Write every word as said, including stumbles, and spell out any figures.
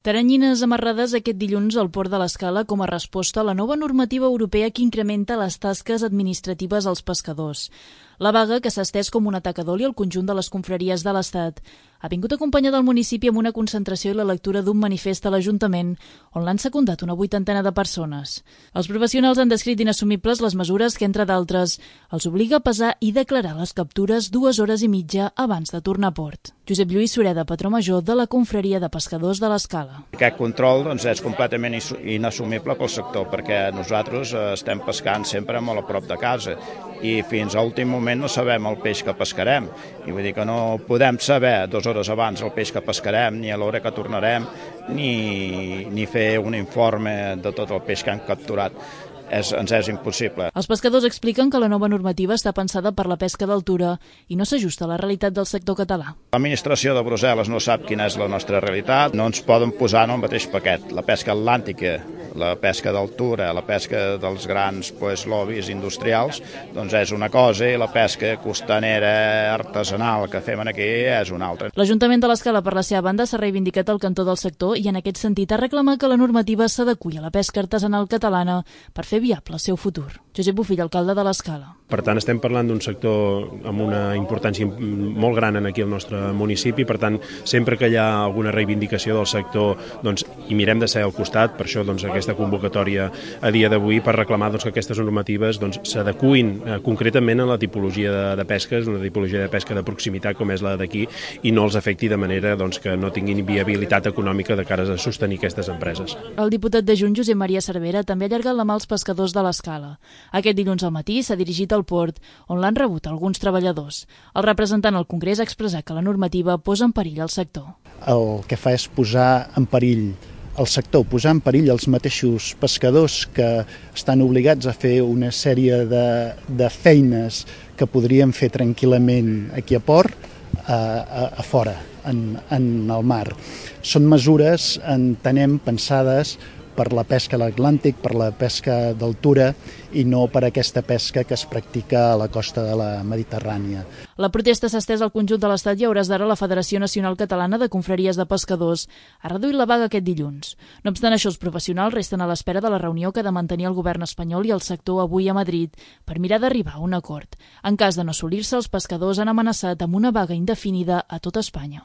Teranyines amarrades aquest dilluns al port de l'Escala com a resposta a la nova normativa europea que incrementa les tasques administratives als pescadors. La vaga, que s'ha estès com un atac a d'oli al conjunt de les confraries de l'Estat, ha vingut acompanyada del municipi amb una concentració i la lectura d'un manifest a l'Ajuntament, on l'han secundat una vuitantena de persones. Els professionals han descrit inassumibles les mesures que, entre d'altres, els obliga a pesar i declarar les captures dues hores i mitja abans de tornar a port. Josep Lluís Sureda, patró major de la confraria de pescadors de l'Escala. Aquest control doncs, és completament inassumible pel sector, perquè nosaltres estem pescant sempre molt a prop de casa i fins a últim moment no sabem el peix que pescarem. I vull dir que no podem saber dues hores abans el peix que pescarem, ni a l'hora que tornarem, ni, ni fer un informe de tot el peix que hem capturat. És, ens és impossible. Els pescadors expliquen que la nova normativa està pensada per la pesca d'altura i no s'ajusta a la realitat del sector català. L'administració de Brussel·les no sap quina és la nostra realitat, no ens poden posar en el mateix paquet. La pesca atlàntica, la pesca d'altura, la pesca dels grans pues, lobbies industrials, doncs és una cosa i la pesca costanera artesanal que fem aquí és una altra. L'Ajuntament de l'Escala, per la seva banda, s'ha reivindicat el cantó del sector i en aquest sentit ha reclamat que la normativa s'adeqüi a la pesca artesanal catalana per fer viable el seu futur. Josep Bofill, alcalde de l'Escala. Per tant, estem parlant d'un sector amb una importància molt gran aquí al nostre municipi, per tant, sempre que hi ha alguna reivindicació del sector, doncs, hi mirem de ser al costat, per això doncs, aquesta convocatòria a dia d'avui per reclamar doncs, que aquestes normatives doncs, s'adecuïn eh, concretament a la tipologia de, de pesques, una tipologia de pesca de proximitat com és la d'aquí, i no els afecti de manera doncs, que no tinguin viabilitat econòmica de cara a sostenir aquestes empreses. El diputat de Junts, Josep Maria Cervera, també ha allargat la mà als pescadors de l'Escala. Aquest dilluns al matí s'ha dirigit al port, on l'han rebut alguns treballadors. El representant al Congrés ha expressat que la normativa posa en perill el sector. El que fa és posar en perill el sector, posar en perill els mateixos pescadors que estan obligats a fer una sèrie de, de feines que podrien fer tranquil·lament aquí a port, a, a, a fora, en, en el mar. Són mesures, entenem, pensades per la pesca a l'Atlàntic, per la pesca d'altura i no per aquesta pesca que es practica a la costa de la Mediterrània. La protesta s'ha estès al conjunt de l'Estat i a hores d'ara la Federació Nacional Catalana de Confraries de Pescadors ha reduït la vaga aquest dilluns. No obstant això, els professionals resten a l'espera de la reunió que ha de mantenir el govern espanyol i el sector avui a Madrid per mirar d'arribar a un acord. En cas de no assolir-se, els pescadors han amenaçat amb una vaga indefinida a tot Espanya.